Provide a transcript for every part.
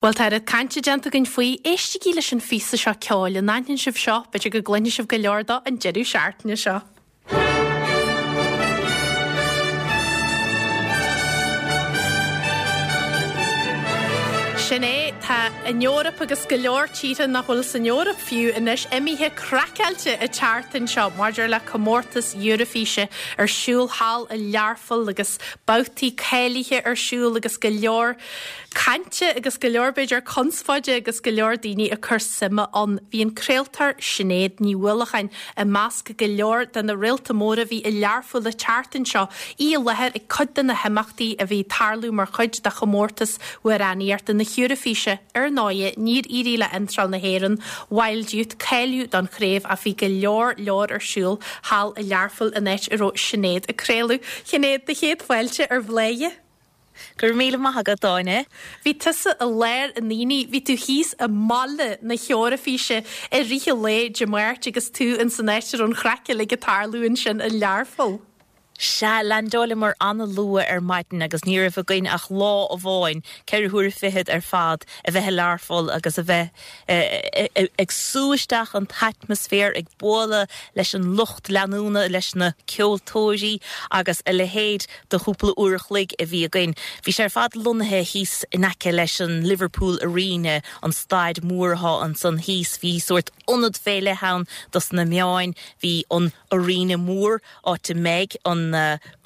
Bhuel, tá oiread cainte déanta againn faoi. Éistigí leis an phíosa seo ceoil. An aithníonn sibh seo? B'fhéidir go gcluinfidh sibh go leor dó an deireadh seachtaine seo. Sin é, tá an Eoraip agus go leor tíortha nach bhfuil san Eoraip fiú anois imithe craiceáilte an tseachtain seo maidir le comórtas Eurofíse ar siúl thall i Learpholl agus babhtaí cáilithe ar siúl agus go leor cainte agus go leor, b'fhéidir, conspóide agus go leor daoine ag cur suime ann. Bhí an craoltóir Sinéad Ní Uallacháin i measc go leor de na réalta móra a bhí i Learpholl an tseachtain seo, í i láthair ag cuid de na himeachtaí a bhí ag tarlú mar chuid de chomórtas amhránaíochta na hEoraifíse. Ar ndóighe, níor éirigh le iontráil na hÉireann, Wild Youth, cáiliú don chraobh ach bhí go leor leor ar siúl thall i Learpholl, an áit a raibh Sinéad ag craoladh. Sinéad, do chéad fáilte ar Bhláth. Go raibh míle maith agat, Áine. Bhí tusa i lár an aonaigh, bhí tú thíos i mbaile na hEoraifíse i rith an lae Dé Máirt agus tú ins an áit a raibh an chraic uilig ag tarlú ansin i Learpholl. Sea, leaindeáileamar an-luath ar maidin agus ní raibh againn ach lá amháin, ceithre huaire fichead ar fad, a bheith i Learpholl agus a bheith ag sú isteach an t-atmaisféar, ag bualadh leis an lucht leanúna, leis na ceoltóirí agus a leithéid de chúpla uair a chloig a bhí againn. Bhí sé ar fad lonnaithe thíos in aice leis an Liverpool Arena, an staid mór athá ansan thíos. Bhí sórt ionad fé leith ann dos na meáin. Bhí an Arena mór, áit a mbeidh an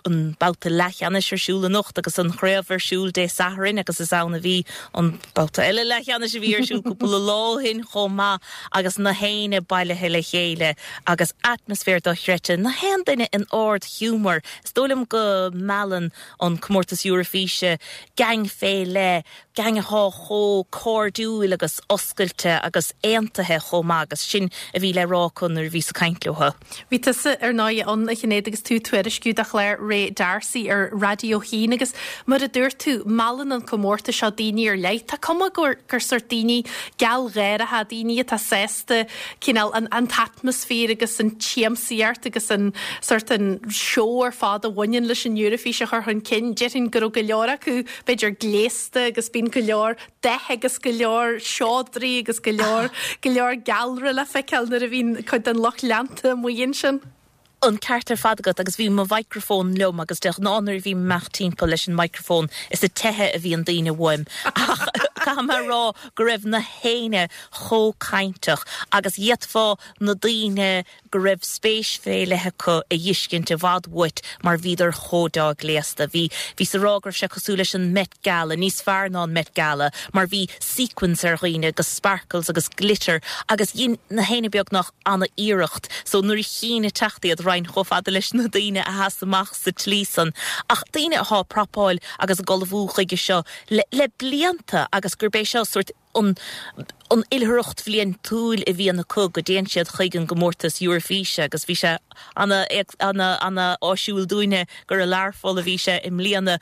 an babhta leathcheannais ar siúl anocht agus an chraobh ar siúl Dé Sathairn agus is ann a bhí an babhta eile leathcheannais a bhí ar siúl cúpla lá ó shin chomh maith agus na héinne bailithe le chéile agus atmaisféar dochreidte, na haon duine in ard-ghiúmar. Is dóigh liom go meallann an Comórtas Eurofíse geaing fé leith, geaing athá chomh cairdiúil agus oscailte agus aontaithe chomh maith agus sin a bhí le rá acu nuair a bhíos ag caint leo. Bhí tusa ar ndóigh ann, a Shinéad, agus tú ag tuairisciú do chlár Ray D'Arcy ar Raidió 1 agus mar a dúirt tú, meallann an comórtas seo daoine ar leith. Tá cuma gur gur sórt daoine gealgháireacha, daoine atá sásta cineál an an t-atmaisféar agus an tsiamsaíocht agus an sórt an seó ar fad a bhaineann leis an Eurofís a chur chun cinn. Déarfainn go raibh go leor acu b'fhéidir gléasta agus bíonn go leor dath agus go leor seodraí agus go leor go leor gealra le feiceáil nuair a bhíonn cuid den lucht leanta amuigh ansin. An ceart ar fad agat agus bhí mo mhicreafón liom agus de ghnáth nuair a bhím ag imeacht timpeall leis an micreafón is ag teitheadh a bhíonn daoine uaim ach caithfidh mé a rá go raibh na héinne chomh cainteach agus d'fhéadfá na daoine go raibh spéis fé leith acu a dh'fheiscint i bhfad uait mar bhíodar chomh deá gléasta. Bhí, bhíos a rá go raibh sé cosúil leis an Met Gala, níos fearr ná an Met Gala mar bhí sequins ar dhaoine agus sparkles agus glitter agus dhein na héinne beagnach ana-iarracht so nuair a chínn ag teacht iad raghainn chomh fada leis na daoine a sheas amach sa tslí san ach daoine athá ag prapáil agus ag ullmhú chuige seo le le blianta agus gurb é seo sórt an an oilithreacht bhliantúil a bhíonn acu go dtéann siad chuig an gcomórtas Eurofíse agus bhí sé ana ana ana áisiúil dúinne gur i Learpholl a bhí sé i mbliana.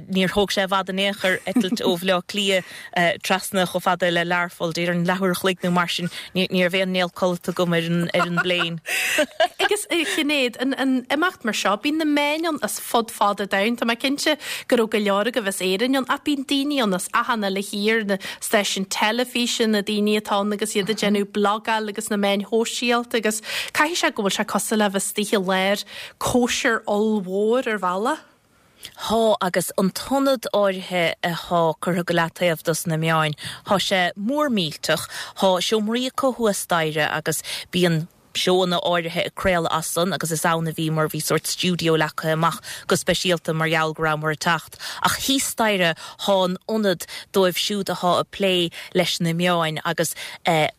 Níor thóg sé i bhfad in aon chor eitilt ó Bhaile Átha Cliath trasna chomh fada le Learpholl, déarfainn leathuair a chloig nó mar sin. Ní raibh aon néal codlata agam ar an ar an bpléin. Agus a Shinéad, an an imeacht mar seo, bíonn na meáin ann as fud fad an domhain. Tá mé cinnte go raibh go leor agaibh as Éirinn ann ach bíonn daoine ann as achan uile thír, na stáisiúin teilifíse, na daoine atá ann agus iad ag déanamh blagáil agus na meáin shóisialta agus caithfidh sé go bhfuil sé cosúil le bheith istigh i lár cóisir ollmhór ar bhealach. Thá, agus an t-ionad áirithe athá curtha go leataobh dos na meáin, thá sé mór millteach. Thá seomraí acu thuas staighre agus bíonn seóanna áirithe ag craoladh as san agus is ann a bhíomar, bhí sórt stiúideo leagtha amach go speisialta mar gheall go rabhamar ag teacht. Ach thíos staighre thá an ionad dóibh siúd athá ag plé leis na meáin agus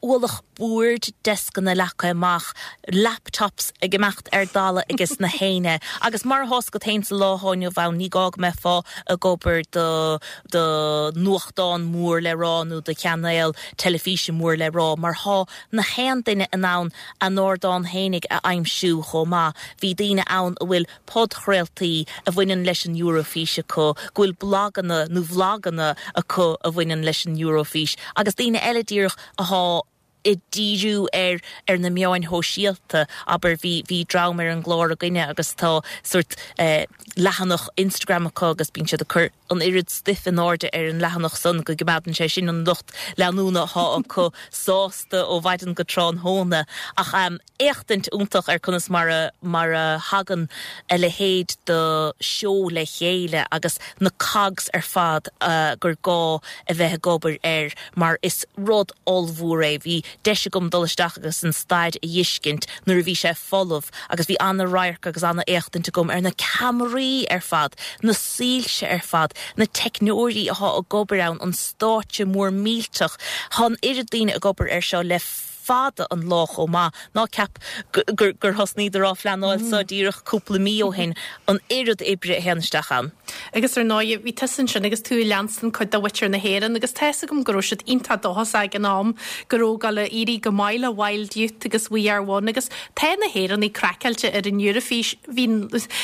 ualach boird, deascanna leagtha amach, laptops ag imeacht ar dalladh ages na héinne. Agus mar atá fhios agat féin sa lá athá inniu ann, ní gá go mbeifeá ag obair do do nuachtán mór le rá nó do chainéal teilifíse mór le rá, mar thá na haon duine in ann a n-ardán fhéinig a aimsiú chomh maith. Bhí daoine ann a bhfuil podchraoltaí a bhaineann leis an Eurofís acu, go bhfuil blaganna nó vloganna acu a bhaineann leis an Eurofís, agus daoine eile díreach athá ag díriú ar ar na meáin shóisialta, abair, bhí bhí dream ar an gclár againne agus tá sórt leathanach Instagram acu agus bíonn siad ag cur. an oiread stuif in airde ar an leathanach san go gcoimeádann sé sin an lucht leanúna atá acu sásta ó mhaidin go tráthnóna. Ach éachtaint iontach ar conas mar a mar a thagann a leithéid de seó le chéile agus na cogs ar fad gur gá a bheith ag obair air mar is rud ollmhór é. Bhí deis agam dul isteach agus an staid a dh'fheiscint nuair a bhí sé folamh agus bhí ana-radharc agus ana-éachtaint agam ar na ceamaraí ar fad, na soilse ar fad, na teicneoirí athá ag obair ann, an stáitse mór millteach. Thá an oiread daoine ag obair air seo le fada an lá chomh maith. Ná ceap gur thosnaíodar á phleanáil so díreach cúpla mí ó shin, an oiread oibre a théann isteach ann. Agus ar ndóigh, bhí tusa ansin agus tú ag leanstan cuid de mhuintir na hÉireann agus tá fhios agam go raibh siad iontach dóchasach ag an am go raibh ag gabháil a éirí go maith le Wild Youth agus We Are One agus tá na hÉireannaigh craiceáilte ar an Eurofís. Bhí,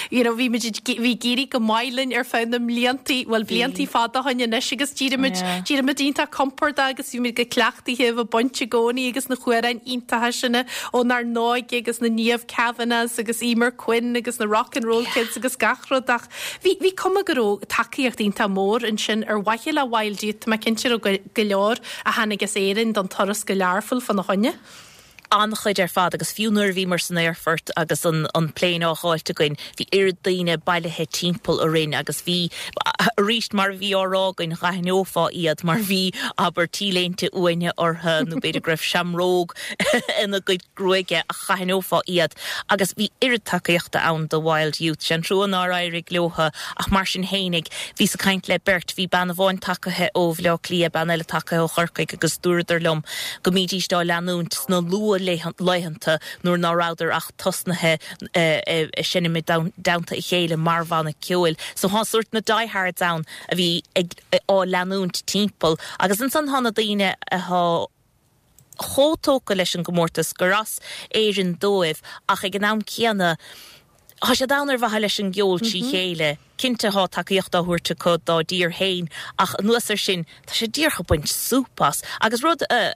you know, bhí muid, bhí ag éirí go maith linn ar feadh na mbliantaí, bhuel bliantaí fada ó shin anois agus d'éirigh, d'éirigh muid iontach compordach agus bhí muid go cleachtaithe a bheith bainte i gcónaí agus na hamhráin iontacha sin ónár n-óige agus na Niamh Kavanaghs agus Eimear Quinn agus na Rock and Roll Kids agus gach rud ach bhí, bhí cuma go raibh tacaíocht iontach mór ansin ar mhaithe le Wild Youth, tá mé cinnte go raibh go leor a tháinig as Éirinn don turas go Learpholl fána choinne. An-chuid ar fad agus fiú nuair a bhíomar san aerfort agus an an plane á dh'fháilt againn bhí oiread daoine bailithe timpeall orainn agus bhí, arís mar a bhí á rá againn, dh'aithneofá iad mar bhí, abair, T-léinte uaine orthu nó b'fhéidir go raibh seamróg ina gcuid gruaige ach dh'aithneofá iad agus bhí oiread tacaíochta ann do Wild Youth. Sé an trua nár éirigh leotha ach mar sin fhéinig bhíos ag caint le beirt, bhí bean amháin tagaithe ó Bhleá Cliath, bean eile tagaithe ó Chorcaigh agus dúradar liom go mbídíst á leanúint sna luath-laethanta nuair ná rabhadar ach tosnaithe ag seinm i dteannta a chéile mar bhanna ceoil. So thá sórt na diehards ann a bhí ag á leanúint timpeall agus ansan thá na daoine athá chomh tógtha leis an gcomórtas gur as Éirinn dóibh ach ag an am céanna thá siad ann ar mhaithe leis an gceol trí chéile. Cinnte thá tacaíocht á thabhairt acu dá dtír féin ach anuas air sin tá siad díreach ag baint súp as. Agus rud a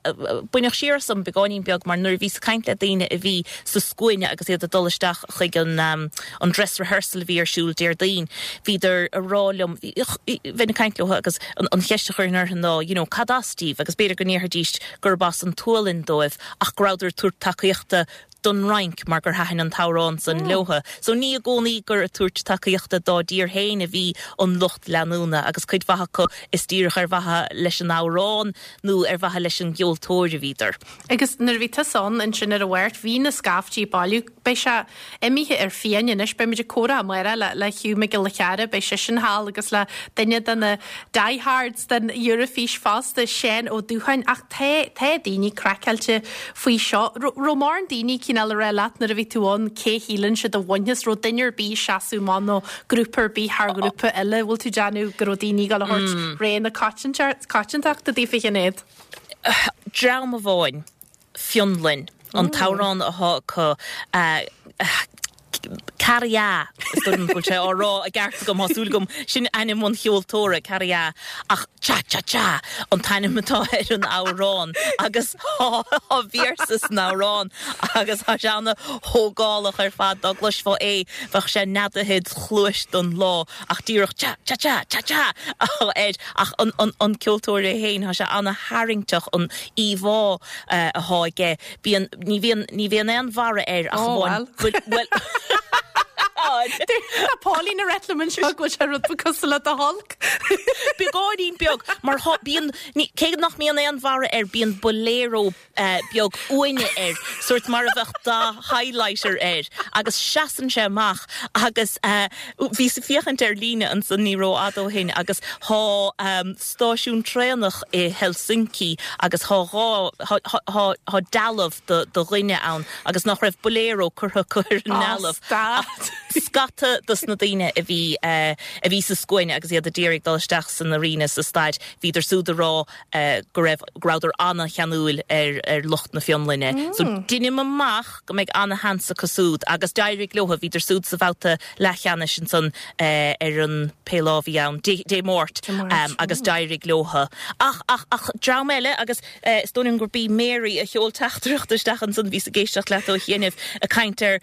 baineadh siar asam beagáinín beag mar nuair a bhíos ag caint le daoine a bhí sa scuaine agus iad ag dul isteach chuig an an dress rehearsal a bhí ar siúl Déardaoin bhíodar ag rá liom, bheinn ag caint leo agus an cheist a chuirfinn orthu ná you know cad as díbh agus b'fhéidir go ndéarfaidís gurb as an tSualainn dóibh ach go rabhadar ag tabhairt tacaíochta don Fhrainc mar gur thaitin an t-amhrán san leotha. So ní i gcónaí gur ag tabhairt tacaíochta dá dtír féin a bhí an lucht leanúna agus cuid mhaith acu is díreach ar mhaithe leis an amhrán nó ar mhaithe leis an gceoltóir a bhíodar. Agus nuair a bhí tusa ann ansin ar an Mháirt bhí na scaiftí ag bailiú. Beidh sé imithe ar fiáin anois. Beidh muid ag comhrá amárach le le Hugh Mac Giolla Chearra, beidh seisean thall agus le duine de na diehards den Eurofís fosta, Seán Ó Dúcháin. Ach tá tá daoine craiceáilte faoi seo. Raibh mórán daoine cineál ag rá leat nuair a bhí tú ann cé shíleann siad a bhainfeas, raibh duine ar bith ag seasamh amach nó grúpa ar bith thar ghrúpa eile, bhfuil tú ag déanamh go raibh daoine ag dul a thabhairt rogha na coitiantachta daofa a Shinéad? Dream amháin, Fionlainn, an t-amhrán athá acu, Käärijä, is dóigh liom go bhfuil sé á rá i gceart agam, tá súil agam, sin ainm an cheoltóra, Käärijä, ach Cha Cha Cha an t-ainm atá ar an amhrán agus tá véarsa san amhrán agus tá sé ana-thógálach ar fad, dá gcloisfeá é bheadh sé neadaithe id chluais don lá ach díreach cha cha cha cha cha air ach an ceoltóir é féin, tá sé ana-tharraingteach an íomhá athá aige. Bíonn, ní bhíonn, ní bhíonn aon bharra air ach amháin bhuel, bhuel. Tá Pauline ag rá liom anseo go bhfuil sé rud beag cosúil le The Hulk. Beagáinín beag, mar thá, bíonn, ní, cé nach mbíonn aon bharra air, bíonn bolero beag uaine air, sórt mar a bheadh dath highlighter air, agus seasann sé amach agus bhíos ag féachaint ar líne ansan ní rófhada ó shin agus thá stáisiún traenach i Helsinki agus thá dhá, thá, thá dealbh do, do dhuine ann agus nach raibh bolero curtha acu ar an ndealbh. Stad! Scata dos na daoine a bhí, a bhí sa scuaine agus iad a d'iarraidh dul isteach san arena sa staid, bhíodar súd a rá go raibh, go rabhadar ana-cheanúil ar, ar lucht na Fionlainne. So deinim amach go mbeidh ana-sheans acu súd agus d'éirigh leotha, bhíodar súd sa bhabhta leathcheannais ansan ar an pé lá a bhí ann, Dé Máirt, agus d'éirigh leotha. Ach, ach, ach dream eile agus is dóigh liom gurb í Mary a sheol teachtaireacht isteach ansan, bhíos ag éisteacht leat ó chianaibh ag caint ar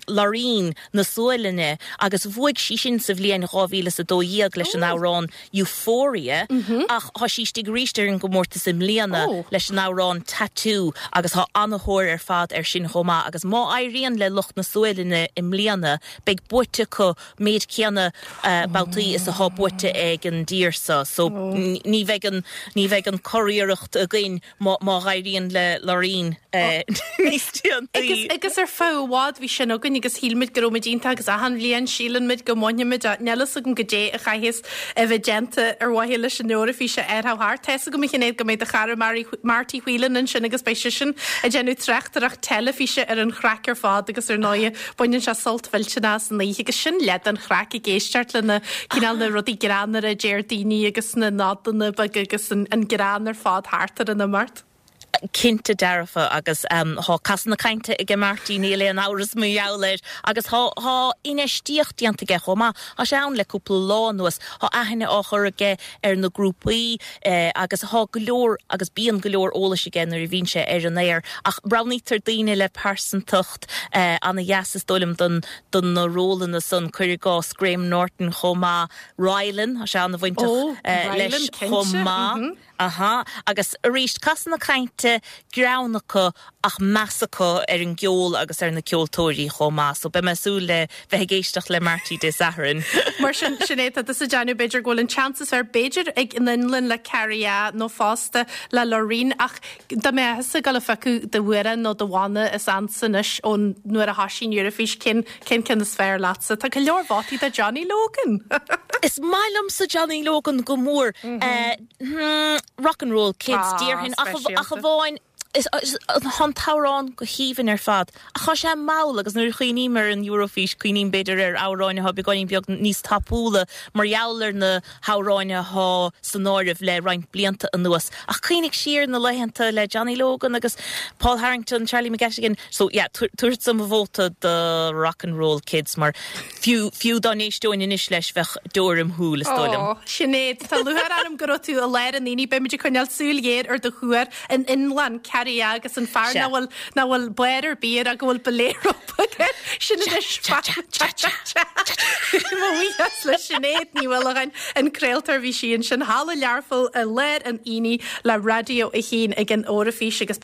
Loreen na Sualainne. Sualainne agus bhuaigh sí sin sa bhliain 2012 leis an amhrán Euphoria ach tá sí istigh arís ar an gcomórtas i mbliana leis an amhrán Tattoo agus tá ana-thóir ar fad air sin chomh maith agus má éiríonn le lucht na Sualainne i mbliana beidh buaite acu méid céanna babhtaí is atá buaite ag an dtír seo so ní bheidh an ní bheidh an curiarracht againn má má éiríonn le Loreen níos déanaí. Agus ar feadh i bhfad bhí sin againn agus shíl muid go raibh muid iontach agus achan bhliain síleann muid go mbainfidh muid é. Níl fhios agam goidé a chaithfeas a bheith déanta ar mhaithe leis an Eoraifís a fháil thart. Tá fhios agam a Shinéad go mbeidh do chara Marty Whelan ansin agus beidh seisean ag déanamh tráchtaireacht teilifíse ar an chraic ar fad agus ar ndóighe Baineann sé sult mhillteanach as an oíche agus sin leath den chraic ag éisteacht le na cineál na rudaí greannmhara a deir daoine agus na nodanna beaga agus an greann ar fad thart ar an imeacht. Cinnte dearfa agus tá casadh na cainte aige Marty, níl aon amhras mar gheall air agus tá tá infheistíocht déanta aige chomh maith. Tá sé ann le cúpla lá anuas. Tá aithne á chur aige ar na grúpaí agus tá go leor agus bíonn go leor eolais aige nuair a bhíonn sé ar an aer ach roghnaítear daoine le pearsantacht ana-dheas is dóigh liom don do na rólanna san, cuir i gcás Graham Norton chomh maith, Rylan, tá sé ana-bhainteach leis chomh maith. Aha, agus arís casadh na cainte, greann acu ach meas acu ar an gceol agus ar na ceoltóirí chomh maith. So beidh mé ag súil le bheith ag éisteacht le Marty Dé Sathairn. Mar sin, Sinéad, tá tusa ag déanamh b'fhéidir go bhfuil an seans is fearr b'fhéidir ag an Fhionlainn le Käärijä nó fosta le Loreen ach dá mbeadh tusa ag dul a phiocadh d'amhrán nó do bhanna is ansa anois ón nuair a thoisigh an Eoraifís, cén cén ceann is fearr leatsa? Tá go leor vótaí do Johnny Logan! Is maith liomsa Johnny Logan go mór. Rock and Roll Kids déarfainn ach amháin tá an t-amhrán go haoibhinn ar fad ach tá sé mall agus nuair a chuimhním ar an Eurofís cuimhním b'fhéidir ar amhráin atá beagáinín beag níos tapúla mar gheall ar na hamhráin atá san áireamh le roinnt blianta anuas. Ach cuimhnigh siar na laethanta le Johnny Logan agus Paul Harrington, Charlie McGettigan. So yeah, tabharfadsa mo vóta do Rock and Roll Kids mar fiú, fiú dá n-éisteoinn anois leis bheadh deoir im shúil is dóigh liom. Ó, Sinéad, tá lúcháir orm go raibh tú i lár an aonaigh. Beidh muid ag coinneáil súil ghéar ar do thuar an Fhionlainn, Käärijä agus an fear nach bhfuil, nach bhfuil barr ar bith air ach go bhfuil bolero beag air. Sin anois Cha cha cha cha cha. Mo bhuíochas le Sinéad Ní Uallacháin, an craoltóir, bhí sí ansin thall i Learpholl i lár an aonaigh le Raidió 1 ag an Eoraifís agus.